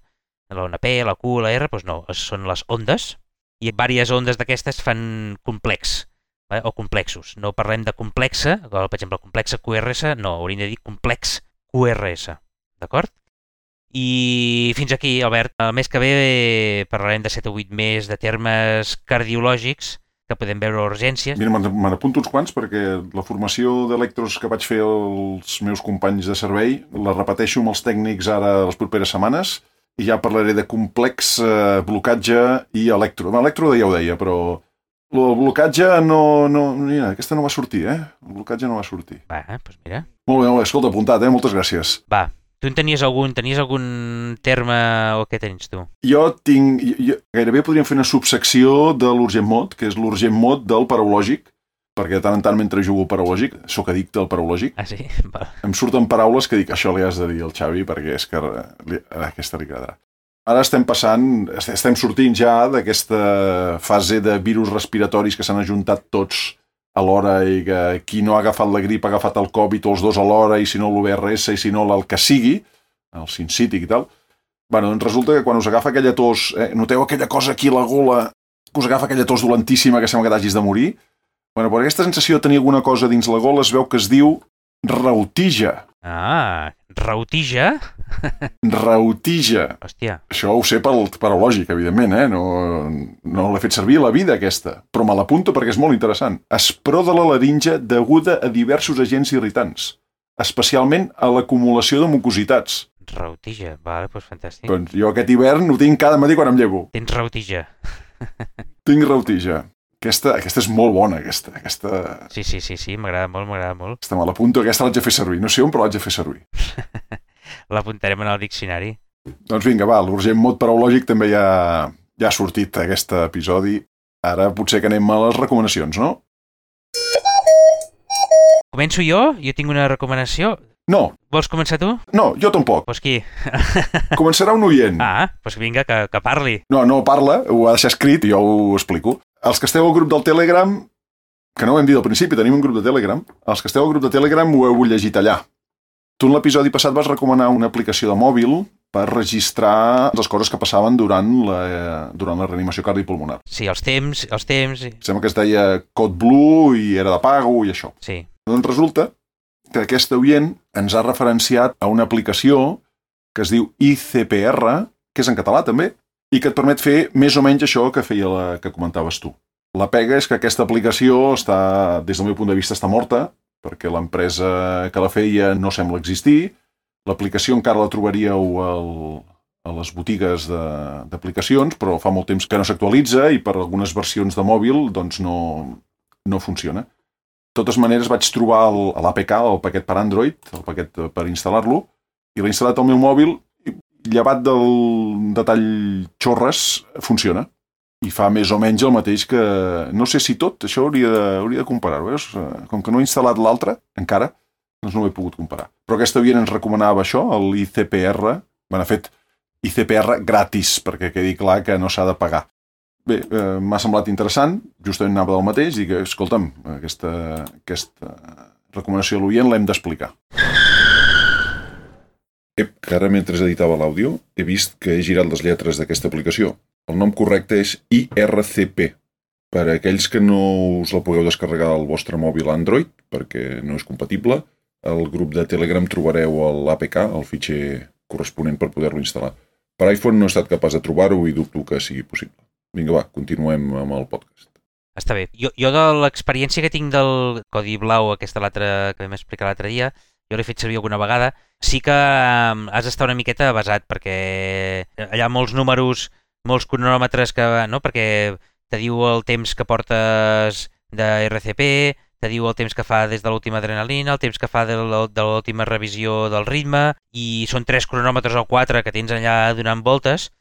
l'ona P, la Q, la R, doncs no, són les ondes. I diverses ondes d'aquestes fan complex, o complexos. No parlem de complexa, per exemple, complexa QRS, no, hauríem de dir complex QRS, d'acord? I fins aquí, Albert. El mes que ve parlarem de 7 o 8 més de termes cardiològics que podem veure a urgències. Mira, me n'apunto uns quants perquè la formació d'electros que vaig fer als meus companys de servei la repeteixo amb els tècnics ara les properes setmanes i ja parlaré de complex, blocatge i elèctrode. L'elèctrode ja ho deia, però el blocatge no... Mira, aquesta no va sortir, El blocatge no va sortir. Va, doncs mira. Molt bé, escolta, apuntat, Moltes gràcies. Va, tu en tenies algun terme o què tens tu? Jo gairebé podríem fer una subsecció de l'urgent mod, que és l'urgent mod del paraulògic, perquè de tant en tant mentre jugo paraulògic, sóc addicte al paraulògic. Ah, sí? Va. Em surten paraules que dic, això li has de dir al Xavi perquè és que aquesta li quedarà. Ara estem sortint ja d'aquesta fase de virus respiratoris que s'han ajuntat tots alhora i que qui no ha agafat la grip ha agafat el Covid o els dos alhora i si no l'UVRS i si no el que sigui, el sincític i tal. Bueno, doncs resulta que quan us agafa aquella tos, noteu aquella cosa aquí a la gola, que us agafa aquella tos dolentíssima que sembla que t'hagis de morir? Bueno, per aquesta sensació de tenir alguna cosa dins la gola es veu que es diu rautija. Ah, rautija? Rautija. Hòstia. Això ho sé pel paraulògic, evidentment, No l'he fet servir a la vida, aquesta. Però me l'apunto perquè és molt interessant. Espror de la laringe deguda a diversos agents irritants, especialment a l'acumulació de mucositats. Rautija, vale, doncs fantàstic. Doncs jo aquest hivern ho tinc cada matí quan em llevo. Tens rautija. Tinc rautija. Aquesta és molt bona, aquesta. Sí, m'agrada molt. Aquesta me l'apunto, aquesta l'haig de fer servir. No sé on, però l'haig de fer servir. L'apuntarem en el diccionari. Doncs vinga, va, l'urgent mod paraulògic també ja ha sortit aquest episodi. Ara potser que anem a les recomanacions, no? Començo jo? Jo tinc una recomanació. No. Vols començar tu? No, jo tampoc. Doncs qui? Començarà un oient. Ah, doncs vinga, que parli. No parla, ho ha deixat escrit i jo ho explico. Els que esteu al grup del Telegram, que no ho hem dit al principi, tenim un grup de Telegram, els que esteu al grup de Telegram ho heu llegit allà. Tu en l'episodi passat vas recomanar una aplicació de mòbil per registrar les coses que passaven durant la reanimació cardiopulmonar. Sí, els temps. Sembla que es deia Code Blue i era de pago i això. Sí. Doncs resulta que aquest oient ens ha referenciat a una aplicació que es diu ICPR, que és en català també, i que et permet fer més o menys això que feia la que comentaves tu. La pega és que aquesta aplicació des del meu punt de vista, està morta, perquè l'empresa que la feia no sembla existir. L'aplicació encara la trobaríeu a les botigues d'aplicacions, però fa molt temps que no s'actualitza i per algunes versions de mòbil doncs no funciona. De totes maneres vaig trobar l'APK, el paquet per Android, el paquet per instal·lar-lo, i l'he instal·lat al meu mòbil i llevat del detall xorres funciona. I fa més o menys el mateix que... No sé si tot, això hauria de comparar-ho, veus? Com que no he instal·lat l'altre, encara, doncs no ho he pogut comparar. Però aquesta oient ens recomanava això, l'ICPR, ha fet ICPR gratis, perquè quedi clar que no s'ha de pagar. Bé, m'ha semblat interessant, justament anava del mateix, i que, escolta'm, aquesta recomanació de l'oient l'hem d'explicar. Que ara mentre editava l'àudio he vist que he girat les lletres d'aquesta aplicació. El nom correcte és IRCP. Per a aquells que no us la pugueu descarregar al vostre mòbil Android, perquè no és compatible, al grup de Telegram trobareu l'APK, el fitxer corresponent per poder-lo instal·lar. Per iPhone no he estat capaç de trobar-ho i dubto que sigui possible. Vinga, va, continuem amb el podcast. Està bé. Jo de l'experiència que tinc del codi blau, aquesta que vam explicar l'altre dia, jo l'he fet servir alguna vegada, sí que has d'estar una miqueta basat, perquè allà molts números, molts cronòmetres, perquè te diu el temps que portes de RCP, te diu el temps que fa des de l'última adrenalina, el temps que fa de l'última revisió del ritme, i són 3 cronòmetres o 4 que tens allà donant voltes,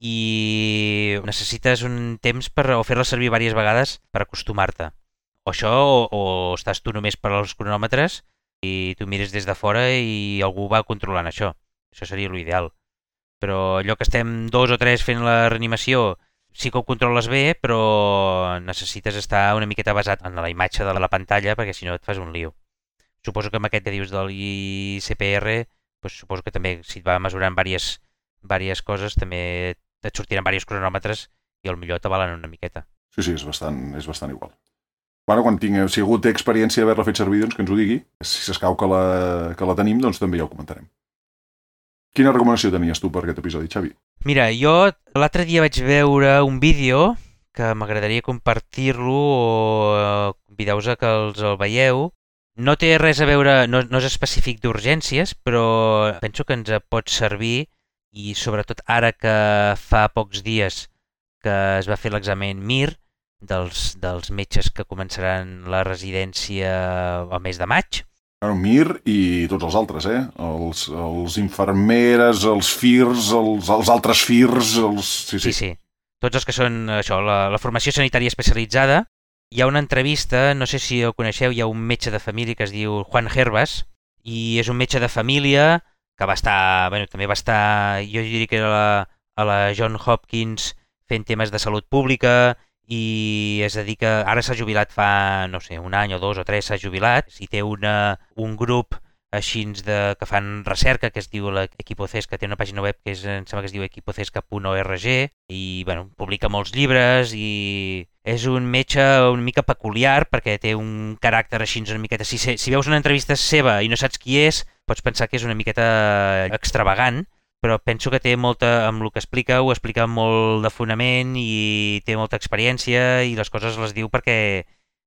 i necessites un temps o fer-la servir diverses vegades per acostumar-te. O això, o estàs tu només per als cronòmetres, i tu mires des de fora i algú va controlant això. Això seria l'ideal. Però allò que estem 2 o 3 fent la reanimació sí que ho controles bé, però necessites estar una miqueta basat en la imatge de la pantalla perquè si no et fas un lío. Suposo que amb aquest que dius de l'ICPR, doncs suposo que també si et va mesurant diverses coses també et sortiran diversos cronòmetres i potser t'avalen una miqueta. Sí, és bastant igual. Bueno, si algú té experiència d'haver-la fet servir, doncs que ens ho digui. Si s'escau que la tenim, doncs també ja ho comentarem. Quina recomanació tenies tu per aquest episodi, Xavi? Mira, jo l'altre dia vaig veure un vídeo que m'agradaria compartir-lo o convidar-vos a que el veieu. No té res a veure, no és específic d'urgències, però penso que ens pot servir i sobretot ara que fa pocs dies que es va fer l'examen MIR dels metges que començaran la residència al mes de maig. Bueno, MIR i tots els altres, els infermeres, els FIRS, els altres FIRS, Sí. Tots els que són això, la formació sanitària especialitzada. Hi ha una entrevista, no sé si ho coneixeu, hi ha un metge de família que es diu Juan Hervas i és un metge de família que també va estar, jo diria que era a la Johns Hopkins fent temes de salut pública i es dedica, ara s'ha jubilat fa, no sé, un any o 2 o 3 s'ha jubilat i té un grup així que fan recerca que es diu l'Equipocesca, que té una pàgina web que em sembla que es diu equipocesca.org i publica molts llibres i és un metge una mica peculiar perquè té un caràcter així una miqueta... Si veus una entrevista seva i no saps qui és, pots pensar que és una miqueta extravagant, però penso que té molta, amb el que explica, ho explica molt de fonament i té molta experiència i les coses les diu perquè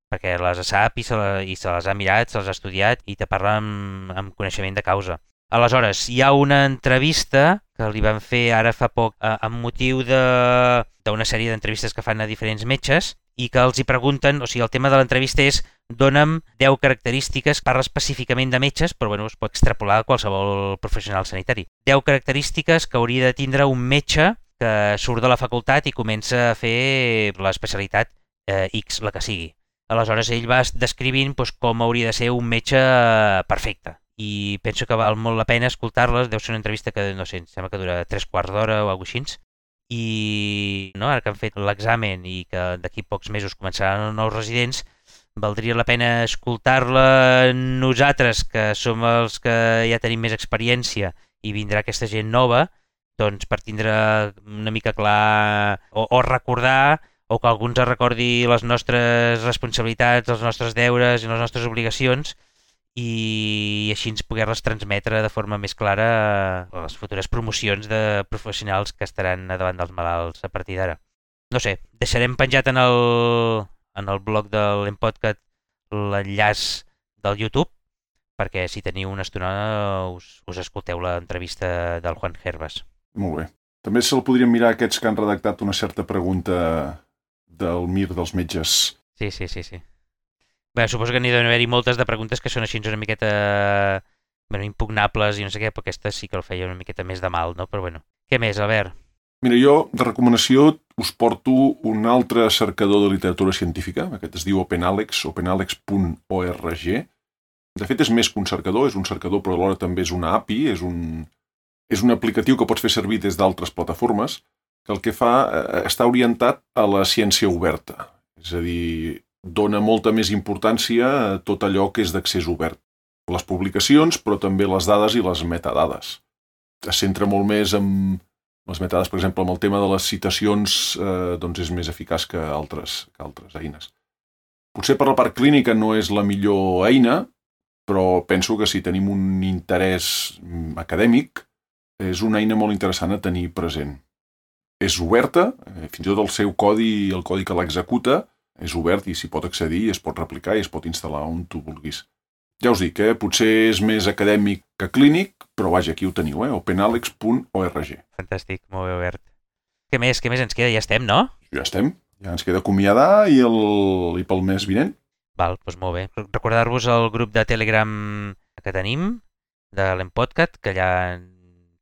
les sap i se les ha mirat, se les ha estudiat i te parla amb coneixement de causa. Aleshores, hi ha una entrevista que li van fer ara fa poc amb motiu d'una sèrie d'entrevistes que fan a diferents metges i que els hi pregunten, o sigui, el tema de l'entrevista és dona'm 10 característiques, parla específicament de metges, però bueno, es pot extrapolar a qualsevol professional sanitari. 10 característiques que hauria de tindre un metge que surt de la facultat i comença a fer l'especialitat X, la que sigui. Aleshores ell va descrivint com hauria de ser un metge perfecte i penso que val molt la pena escoltar-les, deu ser una entrevista que no sé, em sembla que dura 3/4 d'hora o alguna cosa així i ara que han fet l'examen i que d'aquí pocs mesos començaran els nous residents, valdria la pena escoltar-la nosaltres que som els que ja tenim més experiència i vindrà aquesta gent nova, doncs per tindre una mica clar o recordar o que algú ens recordi les nostres responsabilitats, els nostres deures i les nostres obligacions i així ens poder-les transmetre de forma més clara a les futures promocions de professionals que estaran davant dels malalts a partir d'ara. No sé, deixarem penjat en el blog de l'Empodcast l'enllaç del YouTube perquè si teniu una estona us escolteu l'entrevista del Juan Hervas. Molt bé. També se'l podrien mirar aquests que han redactat una certa pregunta del MIR dels metges. Sí. Bé, suposo que n'hi deu haver-hi moltes de preguntes que són així una miqueta impugnables i no sé què, però aquesta sí que el feia una miqueta més de mal, no? Però bueno, què més, Albert? Mira, jo de recomanació us porto un altre cercador de literatura científica, aquest es diu OpenAlex, openalex.org. De fet és més que un cercador, és un cercador però alhora també és una API, és un aplicatiu que pots fer servir des d'altres plataformes que el que fa està orientat a la ciència oberta, és a dir, dona molta més importància a tot allò que és d'accés obert. Les publicacions, però també les dades i les metadades. Es centra molt més en les metadades, per exemple, amb el tema de les citacions, doncs és més eficaç que altres eines. Potser per la part clínica no és la millor eina, però penso que si tenim un interès acadèmic, és una eina molt interessant a tenir present. És oberta, fins i tot el seu codi, el codi que l'executa, és obert i s'hi pot accedir, es pot replicar i es pot instal·lar on tu vulguis. Ja us dic, potser és més acadèmic que clínic, però vaja, aquí ho teniu, openalex.org. Fantàstic, molt bé obert. Què més ens queda? Ja estem, no? Ja estem, ja ens queda acomiadar i pel mes vinent. Val, doncs molt bé. Recordar-vos el grup de Telegram que tenim, de l'Empodcast, que allà,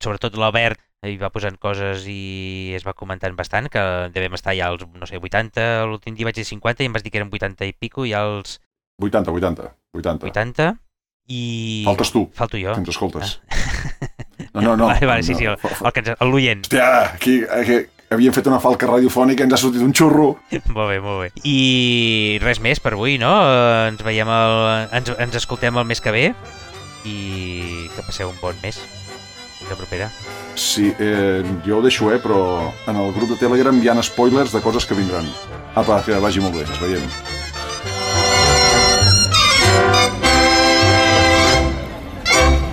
sobretot l'Albert, hi va posant coses i es va comentant bastant, que devem estar ja als, no sé, 80, l'últim dia vaig dir 50 i em vas dir que eren 80 i pico, i als... 80. I... Faltes tu, Falto jo. que ens escoltes. No. Vale, sí, l'oient. Hòstia, aquí havíem fet una falca radiofònica i ens ha sortit un xurro. Molt bé. I res més per avui, no? Ens veiem ens escoltem el mes que ve i que passeu un bon mes. La propera. Sí, jo ho deixo, però en el grup de Telegram hi ha spoilers de coses que vindran. Apa, que vagi molt bé, ens veiem.